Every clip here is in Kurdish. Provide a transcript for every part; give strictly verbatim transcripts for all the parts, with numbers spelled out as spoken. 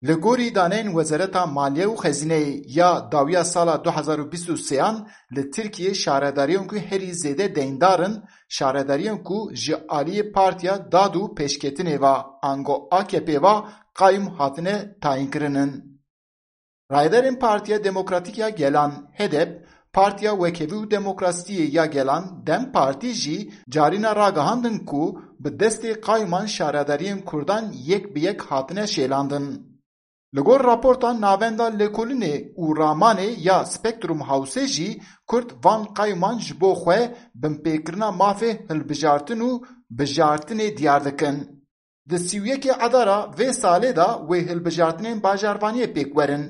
Li gorî daneyên Wezareta Maliye û Xezîneyê ya dawiya sala du hezar û bîst û sêyan, li Tirkiyê şaredariyên ku herî zêde deyndar in, şaredariyên ku ji aliyê Partiya Dad û Pêşketinê ve, ango A K P ve qayûm hatine tayînkirin in. Rayedarên Partiya Demokratîk ya Gelan, H D P, Partiya Wekhevî û Demokrasiyê ya Gelan, DEM Partî jî carîna ragihandin ku bi destê qayûman şaredariyên Kurdan yek bi yek hatine şêlandin. Li gor raporta Navenda Lêkolînê û Ramanê ya Spektrum Hawsê jî Kurd van qayûman ji bo xwe binpêkirina mafê hilbijartin û bijartinê diyar dikin. Di sî û yekê Adara vê salê de wê hilbijartinên bajarvaniyê pêk werin.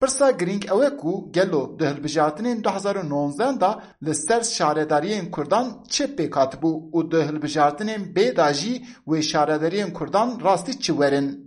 Pirsa girîng ew e ku gelo di hilbijartinên du hezar û nonzdehan de li ser şaredariyên Kurdan çi pêk hatibû û di hilbijartinên bê de jî wê şaredariyên Kurdan rastî çi werin?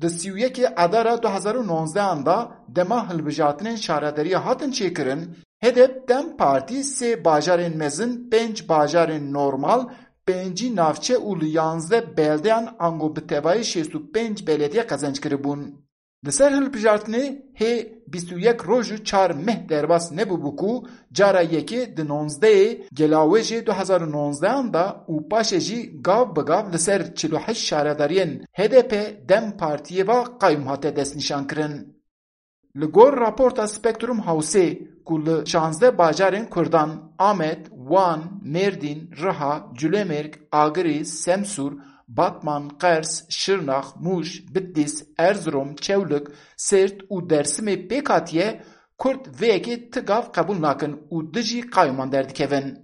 Di sî û yekê Adara du hezar û nonzdehan de dema hilbijartinên şaredariya hatin çêkirin, H D P DEM Partî sê bajarên mezin, pênc bajarên normal, pêncî navçe û li yanzdeh beldeyan ango bi tevayî şêst û pênc belediye qezenc kiribûn. Li ser hilbijartinê hê bîst û yek roj û çar meh derbas nebûbû ku cara yekê di nonzdehê Gelawêjê du hezar û nonzdehan de û paşê jî gav bi gav li ser çil û heşt şaredariyên H D P DEM Partiyê ve qayûm hate destnîşankirin. Li gor raporta Spektrum Hawsê ku li şanzdeh bajarên Kurdan, Amed, Wan, Mêrdîn, Riha, Culemêrg, Agirî, Semsûr, Batman, Qers, Şirnax, Mûş, Bitlîs, Erzirom, Çewlik, Sêrt û Dersimê pêk hatiye, Kurd vê yekê ti gav qebûl nakin û dijî qayûman derdikevin.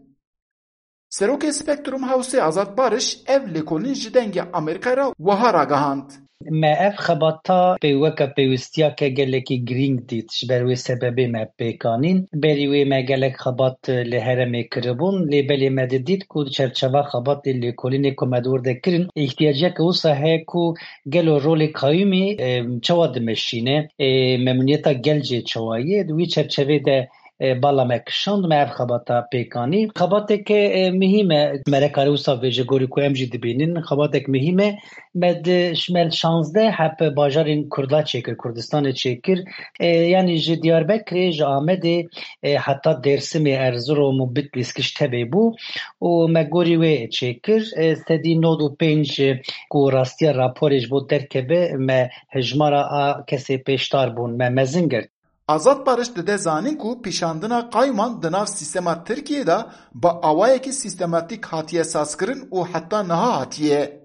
Serokê Spektrum Hawsê Azad Bariş ev lêkolîn ji Dengê Amerîkayê re wiha ragihand. Me ev xebata pê weke pêwistiyeke gelekî girîng dît, ji ber wê sebebê me pêk anîn. Berî wê me gelek xebat li herêmê kiribûn, lê belê me didît ku di çerçeva xebatê lêkolînê ku me di wir de kirin, îhtiyaceke wisa heye ku gelo rolê qayûmî, e, çawa dimeşîne, e, memnûniyeta gelcê çawa ye, di wî çerçevê de e, bala me kişand, me ev xebata pêk anî. Xebateke, e, muhîm e, me re kare wisa bêje, gorî ku em jî dibînin, xebatek muhîm e. Me di, me şanzdeh heb bajarên Kurda çêkir, Kurdistanê çêkir. E, yanî ji Diyarbekirê, ji Amedê, e, heta Dêrsimê, Erzirom û Bitlîs giş tevê bû û me gorî wê çêkir. E, sedî nod û pênc ku rastiya raporê ji bo derkeve, me hejmara a kesê pêşdar bûn, me mezin girt. Azad Bariş dide zanîn ku pîşandina qayûman di nav sîstema Tirkiyê de bi awayekî sîstematîk hatiye sazkirin û heta niha hatiye.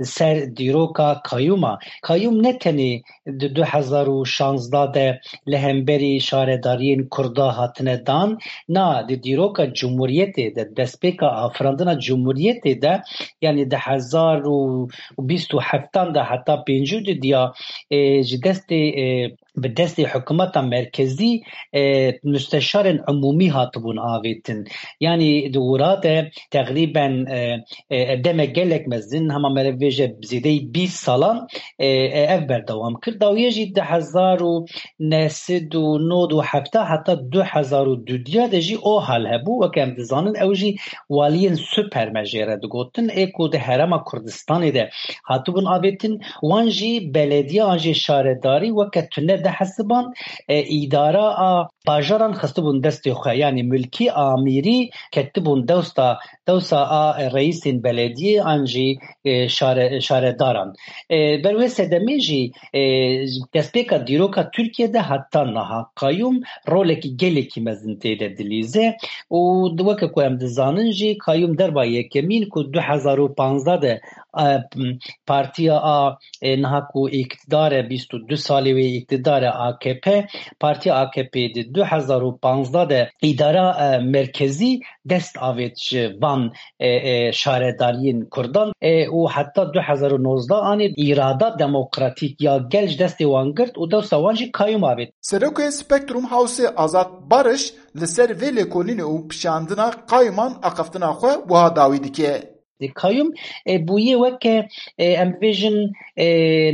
Ser dîroka qayûma. Qayûm ne tenê di du hezar û şanzdeh de li hemberî şaredariyên Kurda hatine dan, na, di dîroka Cumhuriyetê de, destpêka afirandina Cumhuriyetê de, yanî di hezar û bîst û heftan de heta pêncî û du diya, e, ji destê, e, bi destê hikûmeta merkezî, e, musteşarên umûmî hatibûn avêtin. Yanî di wira de teqrîben, e, e, demek gelek mezin, hema mere bêje zêdeyî bîst salan, e, e, ev berdewam kir. Dawiye jî di hezar û neh sed û nod û heft heta du hezar û du diya de jî o hal hebû. Weke em dizanin, ew jî waliyên super me jê re digotin, ê ku di Herêma Kurdistanê de hatibûn avêtin, wan jî belediye an jî şaredarî weke tune dihesiban, e, îdara a bajaran xistibûn destê xwe, yanî milkî, amîrî ketibûn dewsta, dewsa a reîsên belediyê an jî, e, şare-, şaredaran. E, ber wê sedemê jî, e, destpêka dîroka Tirkiyê de heta niha qayûm rolekî gelekî mezin tê de dilîze û di weke ku em dizanin jî qayûm derba yekemîn ku du hezar û panzdeh de, e, partiya a, e, niha ku îktidar e, bîst û du salê wê îktidar e A K P, partiya A K P di du hezar û panzdeh de îdara, e, merkezî dest avêt ji van, e, e, şaredariyên Kurdan, e, û heta du hezar û nozdeh anî îrada demokratîk ya gel ji destê wan girt û dewsa wan jî qayûm avêt. Serokê Spektrum Hawsê Azad Bariş li ser vê lêkolînê û pişandina qayûman axaftina xwe wiha dawî dike. Qayûm, e, bûye weke, e, em bêjin, e,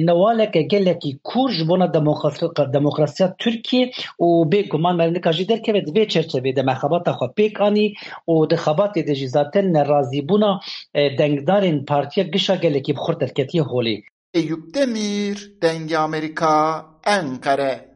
newaleke gelekî kûr ji bona demokrasi-, demokrasiya Tirkiyê û bêguman me nika jî derkeve di vê çerçevê de me xebata xwe pêk anî û di xebatê de jî zaten nerazîbûna, e, dengdarên partiya gişa gelekî bi xurt derketiye holê. Eyûp Demîr, Dengê Amerîka, Enqere.